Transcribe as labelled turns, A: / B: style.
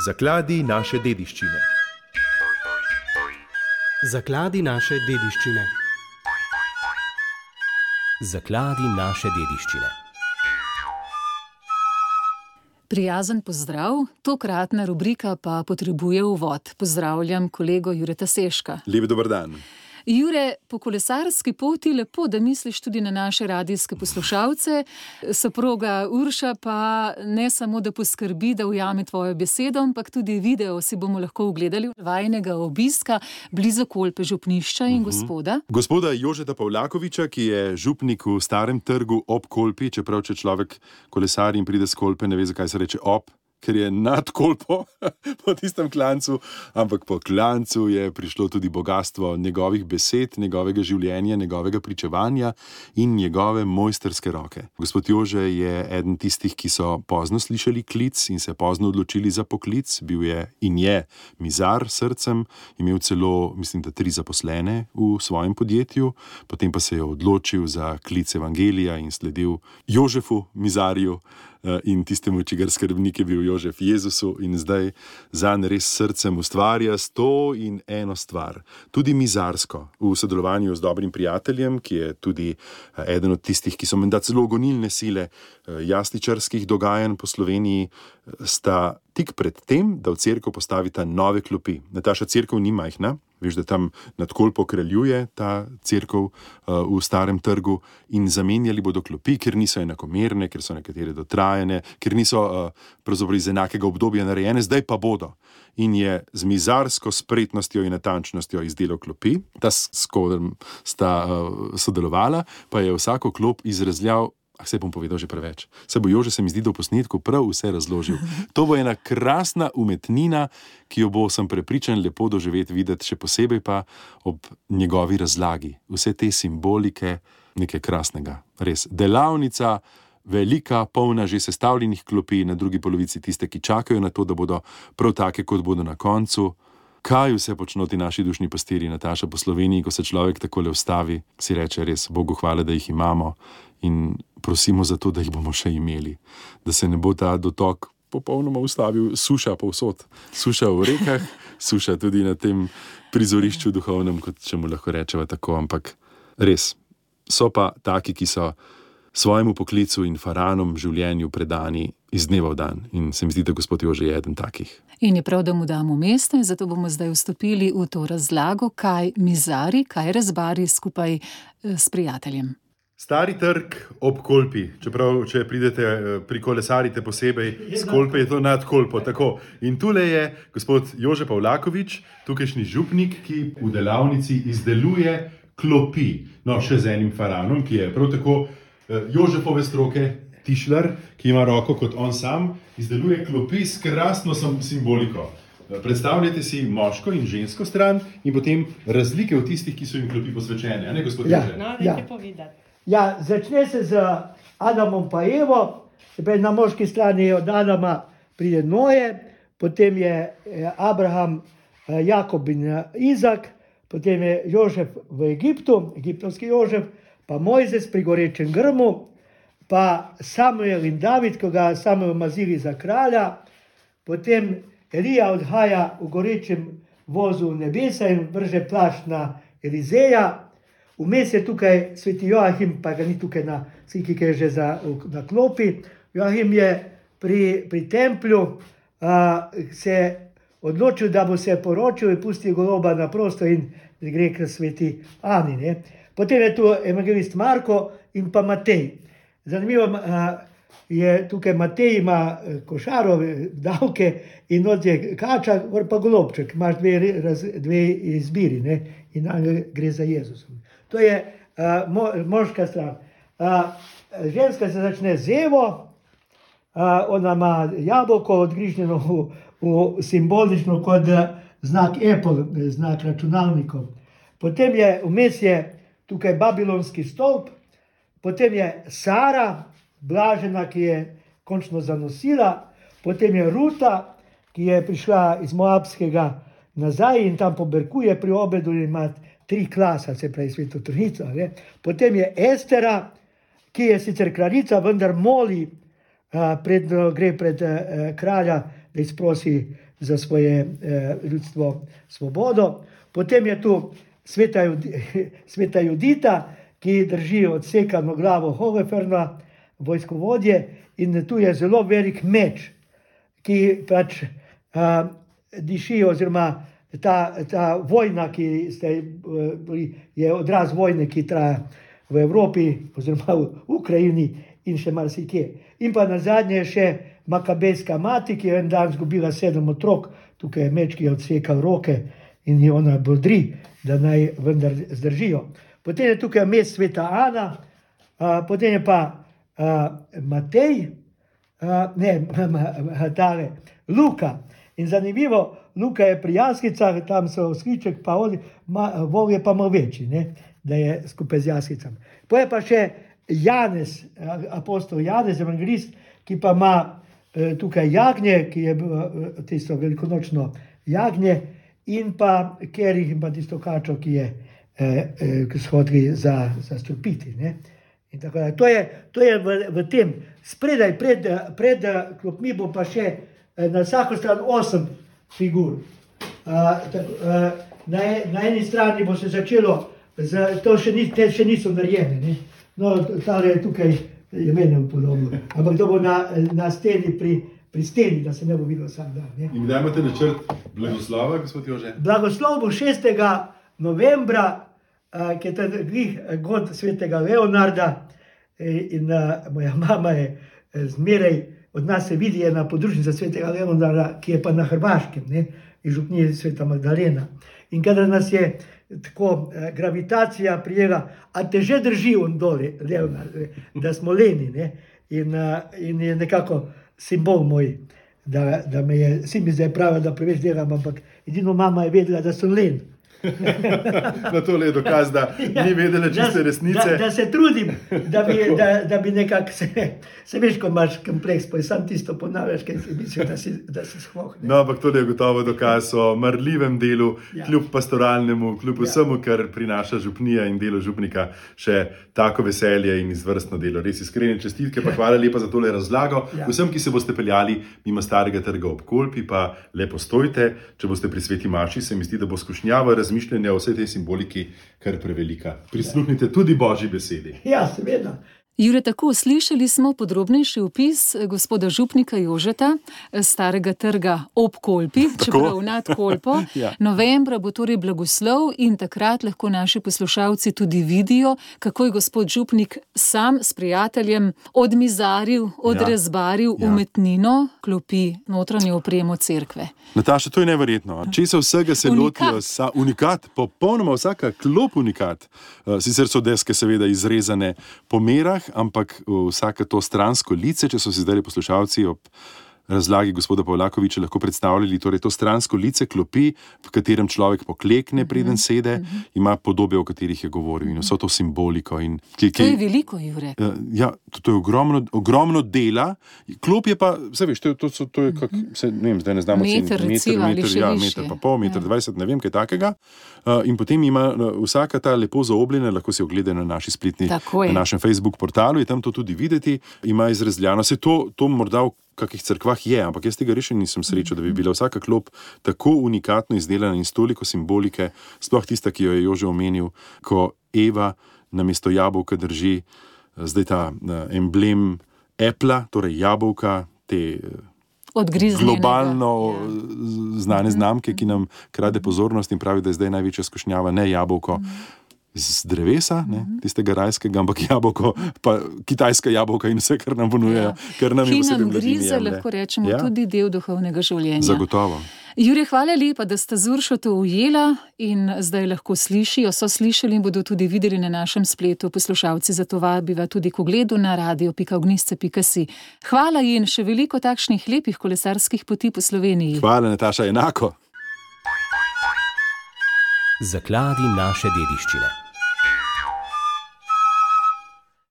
A: Zakladi naše dediščine.
B: Zakladi naše dediščine.
C: Zakladi naše dediščine.
D: Prijazen pozdrav, tokratna rubrika pa potrebuje uvod. Pozdravljam kolego Jureta Seška.
E: Lep dober dan.
D: Jure, po kolesarski poti lepo, da misliš tudi na naše radijske poslušalce. Soproga Urša pa ne samo, da poskrbi, da ujame tvojo besedo, ampak tudi video si bomo lahko ogledali vajinega obiska blizu Kolpe župnišča in gospoda.
E: Gospoda Jožeta Pavlakoviča, ki je župnik v Starem trgu ob Kolpi, čeprav če človek kolesari in pride s Kolpe, ne ve, zakaj se reče ob, ker je nad Kolpo po tistem klancu, ampak po klancu je prišlo tudi bogatstvo njegovih besed, njegovega življenja, njegovega pričevanja in njegove mojsterske roke. Gospod Jože je eden tistih, ki so pozno slišali klic in se pozno odločili za poklic. Bil je in je mizar s srcem, imel celo, mislim, da 3 zaposlene v svojem podjetju, potem pa se je odločil za klic evangelija in sledil Jožefu, mizarju, in tistemu, čigar skrbnik je bil Jožef Jezusu, in zdaj zanj res srcem ustvarja 101 stvar, tudi mizarsko, v sodelovanju z dobrim prijateljem, ki je tudi eden od tistih, ki so menda celo gonilne sile jasličarskih dogajanj po Sloveniji, sta tik pred tem, da v cerkev postavita nove klopi. Nataša, cerkev ni majhna, veš, da tam nad Kolpo kraljuje ta cerkev v Starem trgu, in zamenjali bodo klopi, ker niso enakomerne, ker so nekatere dotrajane, ker niso pravzaprav iz enakega obdobja narejene, zdaj pa bodo. In je z mizarsko spretnostjo in natančnostjo izdelal klopi, ta s kodem sta sodelovala, pa je vsako klop izrezljal. Se bom povedal že preveč. Se bo Jože, se mi zdi, da v posnetku prav vse razložil. To bo ena krasna umetnina, ki jo bo, sem prepričan, lepo doživeti, videti, še posebej pa ob njegovi razlagi. Vse te simbolike, nekaj krasnega. Res. Delavnica, velika, polna že sestavljenih klopi, na drugi polovici tiste, ki čakajo na to, da bodo prav take, kot bodo na koncu. Kaj vse počno ti naši dušni pastirji, Nataša, po Sloveniji, ko se človek takole ustavi, si reče res, Bogu hvala, da jih imamo, in prosimo za to, da jih bomo še imeli. Da se ne bo ta dotok popolnoma ustavil, suša povsod. Suša v rekah, suša tudi na tem prizorišču duhovnem, kot če mu lahko rečeva tako, ampak res, so pa taki, ki so svojemu poklicu in faranom življenju predani iz dneva v dan. In se mi zdi, da gospod Jože je eden takih.
D: In je prav, da mu damo mesto, in zato bomo zdaj vstopili v to razlago, kaj mizari, kaj rezbari skupaj s prijateljem.
E: Stari trg ob Kolpi, čeprav, če pridete, prikolesarite posebej, z Kolpe je to nad Kolpo, tako. In tule je gospod Jože Pavlakovič, tukajšnji župnik, ki v delavnici izdeluje klopi. No, še z enim faranom, ki je prav tako Jožefove stroke, tišlar, ki ima roko kot on sam, izdeluje klopi s krasno simboliko. Predstavljajte si moško in žensko stran in potem razlike v tistih, ki so jim klopi posvečene. Ne, gospod Jože?
F: No, nekaj povedati.
G: Ja, začne se z Adamom pa Evo, na moški strani od Adama pride Noje, potem je Abraham, Jakob in Izak, potem je Jožef v Egiptu, egiptovski Jožef, pa Mojzes pri gorečem grmu, pa Samuel in David, ko ga Samuel mazili za kralja, potem Elija odhaja v gorečem vozu v nebesa in vrže plašč na Elizeja. Vmes je tukaj sveti Joahim, pa ga ni tukaj na sliki, ki je že na klopi. Joahim je pri templju se odločil, da bo se poročil in pustil goloba na prosto in gre k sveti Ani. Ne? Potem je tu evangelist Marko in pa Matej. Zanimivo je tukaj Matej ima košaro, davke in od je kača, pa golobček. Imaš dve izbiri, ne? In gre za Jezusom. To je moška stran. Ženska se začne z Evo, ona ima jabolko odgrižnjeno v simbolično kot znak Apple, znak računalnikov. Potem je vmes je tukaj babilonski stolp, potem je Sara, blažena, ki je končno zanosila, potem je Ruta, ki je prišla iz Moabskega nazaj in tam poberkuje pri obedu in ima 3 klasa, se pravi Sveto Trojnico. Potem je Estera, ki je sicer kraljica, vendar moli, gre pred kralja, da izprosi za svoje ljudstvo svobodo. Potem je tu sveta Judita, ki drži odsekano glavo Hogeferna, vojskovodje, in tu je zelo velik meč, ki pač diši, oziroma ta vojna, ki je odraz vojne, ki traja v Evropi, oziroma v Ukrajini in še marsikje. In pa nazadnje še Makabejska mati, ki je en dan izgubila 7 otrok, tukaj je meč, ki je odsekal roke in jo ona bodri, da naj vendar zdržijo. Potem je tukaj vmes sveta Ana, potem je pa Matej, Luka. In zanimivo, Luka je pri Jaskicah, tam so skriček, pa Vov je pa malo večji, ne? Da je skupaj z Jaskicami. Potem je pa še Janez, apostol Janez, evangelist, ki pa ima tukaj jagnje, ki je tisto velikonočno jagnje, in pa kerih in pa tisto kačo, ki je shodili za strupiti. In tako da. To je v tem. Spredaj, pred klopmi bo pa še na vsako stran 8 figur. Na eni strani bo se začelo, te še niso narejene, ne? No, tale je tukaj, je meni podobno, ampak to bo na steni, pri steni, da se ne bo videl vsak dan. Ne?
E: In kdaj imate načrt blagoslova, gospod Jože?
G: Blagoslov bo 6. novembra, ki je glih god svetega Leonarda, in moja mama je zmeraj, od nas se vidi ena podružnica svetega Leonarda, ki je pa na Hrvaškem, ne? In župnije sveta Magdalena. In kadar nas je tako gravitacija prijela, a te že drži on dole, Leonard, da smo leni, ne? In je nekako simbol moj, da me je, vsi mi zdaj pravijo, da preveč delam, ampak edino mama je vedela, da sem len.
E: No, to je dokaz, da ni vedela čiste resnice.
G: Da se trudim, da bi nekako se veš, ko imaš kompleks, pa sam tisto ponavljaš, kaj si misliš, da si shloh.
E: No, ampak to je gotovo dokaz o marljivem delu, kljub pastoralnemu, kljub vsemu, kar prinaša župnija in delo župnika, še tako veselje in izvrstno delo. Res iskrene čestitke, pa hvala lepa za tole razlago. Vsem, ki se boste peljali mimo Starega trga ob Kolpi, pa lepo stojte, če boste pri sveti maši, se mi zdi, da bo skušnjava razmišljanja o vsej tej simboliki kar prevelika. Prisluhnite tudi Božji besedi.
G: Ja, seveda.
D: Jure, tako slišali smo podrobnejši opis gospoda župnika Jožeta, Starega trga ob Kolpi, čeprav nad Kolpo. Novembra bo torej blagoslov in takrat lahko naši poslušalci tudi vidijo, kako je gospod župnik sam s prijateljem odmizaril, odrezbaril umetnino, klopi, notranjo opremo cerkve.
E: Nataša, to je neverjetno. Česa vsega se lotijo? Unikat, popolnoma vsaka klop unikat. Sicer so deske seveda izrezane po merah, ampak vsaka to stransko lice, če so si zdaj poslušalci ob razlagi gospoda Pavlakoviča lahko predstavljali, torej to stransko lice klopi, v katerem človek poklekne, preden sede, ima podobe, o katerih je govoril, in vso to simboliko.
D: To je veliko, Jure.
E: Ja, to je ogromno dela. Klop je pa, vse veš, to je kak, ne vem, zdaj ne znamo
D: meter,
E: meter pa pol, meter 20, ne vem, kaj takega. In potem ima vsaka ta lepo zaobljena, lahko si ogleda na naši spletni, na našem Facebook portalu, je tam to tudi videti, ima izrezljano. Se to morda v kakih cerkvah je, ampak jaz tega res nisem srečal, da bi bila vsaka klop tako unikatno izdelana in s toliko simbolike, sploh tista, ki jo je Jože omenil, ko Eva namesto jabolka drži zdaj ta emblem Apple, torej jabolka, te globalno znane znamke, ki nam krade pozornost in pravi, da je zdaj največja skušnjava ne jabolko z drevesa, tistega rajskega, ampak jabolko, pa kitajska jabolka in vse, kar nam ponujejo, kar nam je posebej mladini jemlje.
D: Lahko rečemo, tudi del duhovnega življenja.
E: Zagotovo.
D: Jure, hvala lepa, da sta z Uršo to ujela in zdaj lahko slišijo, so slišali in bodo tudi videli na našem spletu. Poslušalci, zato vabiva tudi k ogledu na radio.ognjišce.si. Hvala in še veliko takšnih lepih kolesarskih poti po Sloveniji.
E: Hvala, Nataša, enako.
C: Zakladi naše dediščine.